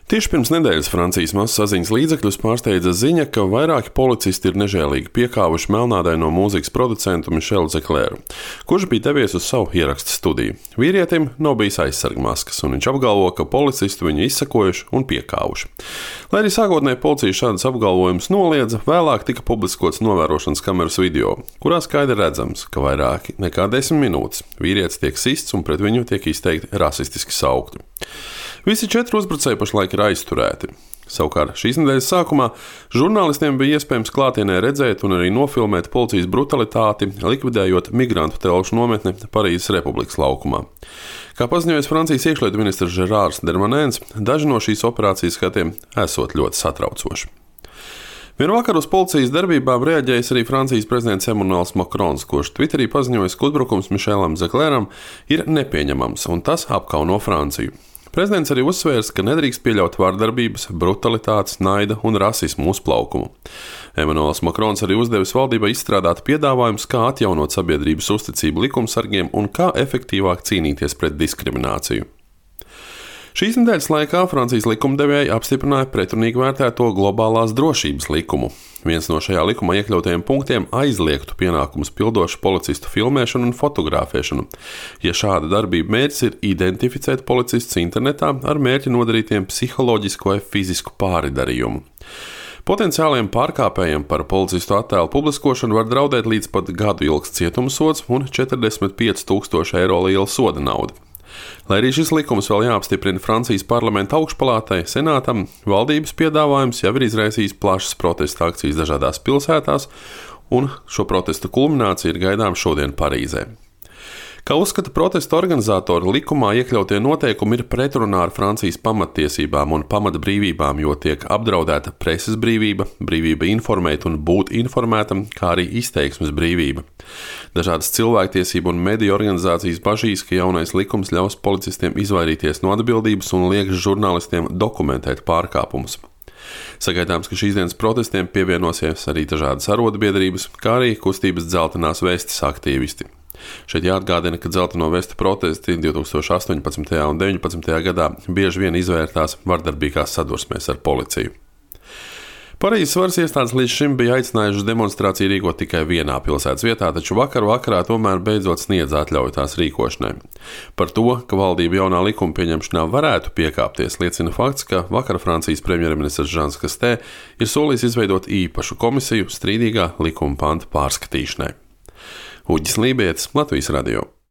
Tieši pirms nedēļas Francijas masasaziņas līdzekļus pārsteidza ziņa, ka vairāki policisti ir nežēlīgi piekāvuši melnādaino mūzikas producentu Mišelu Zeklēru, kurš bija devies uz savu ierakstu studiju. Vīrietim nav bijis aizsargmaskas, un viņš apgalvo, ka policisti viņu izsekojuši un piekāvuši. Lai arī sākotnēji policija šādas apgalvojumus noliedza, vēlāk tika publiskots novērošanas kameras video, kurā skaidri redzams, ka vairāk nekā 10 minūtes vīrietis tiek sists un pret viņu tiek izteikti rasistiski saukti. Visi 4 uzbrucēji pašlaik ir aizturēti. Savukārt šīs nedēļas sākumā žurnālistiem bija iespējams klātienē redzēt un arī nofilmēt policijas brutalitāti, likvidējot migrantu telšu nometni Parīzes Republikas laukumā. Kā paziņojis Francijas iekšlietu ministrs Žerārs Dermanēns, daži no šīs operācijas skatiem esot ļoti satraucoši. Vienvakar uz policijas darbībām reaģējis arī Francijas prezidents Emmanuels Macrons, kurš Twitterī paziņojis, ka uzbrukums Mišelam Zeklēram ir nepieņemams un tas apkauno Franciju. Prezidents arī uzsvērs, ka nedrīkst pieļaut vardarbības, brutalitātes, naida un rasismu uzplaukumu. Emmanuels Macrons arī uzdevis valdībai izstrādāt piedāvājumus, kā atjaunot sabiedrības uzticību likumsargiem un kā efektīvāk cīnīties pret diskrimināciju. Šīs nedēļas laikā Francijas likumdevēji apstiprināja pretrunīgi vērtēto globālās drošības likumu. Viens no šajā likumā iekļautajiem punktiem aizliegtu pienākumus pildošu policistu filmēšanu un fotografēšanu, ja šāda darbība mērķis ir identificēt policistus internetā ar mērķi nodarītiem psiholoģisku vai fizisku pāridarījumu. Potenciāliem pārkāpējiem par policistu attēlu publiskošanu var draudēt līdz pat gadu ilgs cietumsods un 45,000 eiro liela soda nauda. Lai arī šis likums vēl jāapstiprina Francijas parlamenta augšpalātai, senātam, valdības piedāvājums jau ir izraisījis plašas protesta akcijas dažādās pilsētās, un šo protestu kulminācija ir gaidām šodien Parīzē. Kā uzskata protesta organizatori, likumā iekļautie noteikumi ir pretrunā ar Francijas pamattiesībām un pamatbrīvībām, jo tiek apdraudēta preses brīvība, brīvība informēt un būt informētam, kā arī izteiksmes brīvība. Dažādas cilvēktiesību un mediju organizācijas bažīs, ka jaunais likums ļaus policistiem izvairīties no atbildības un liekas žurnālistiem dokumentēt pārkāpumus. Sagaidāms, ka šīs dienas protestiem pievienosies arī dažādas arotbiedrības, kā arī kustības dzeltenās vestes aktīvisti. Šeit jāatgādina, ka dzelteno vestu protesti 2018. un 2019. gadā bieži vien izvērtās vardarbīgās sadursmēs ar policiju. Parīzes varas iestādes līdz šim bija aicinājušas demonstrāciju rīkot tikai vienā pilsētas vietā, taču vakarā tomēr beidzot sniedz atļauju tās rīkošanai. Par to, ka valdība jaunā likuma pieņemšanā varētu piekāpties, liecina fakts, ka vakar Francijas premjerministrs Žans Kastē ir solījis izveidot īpašu komisiju strīdīgā likuma panta pārskatīšanai. Uģis Lībietis, Latvijas radio.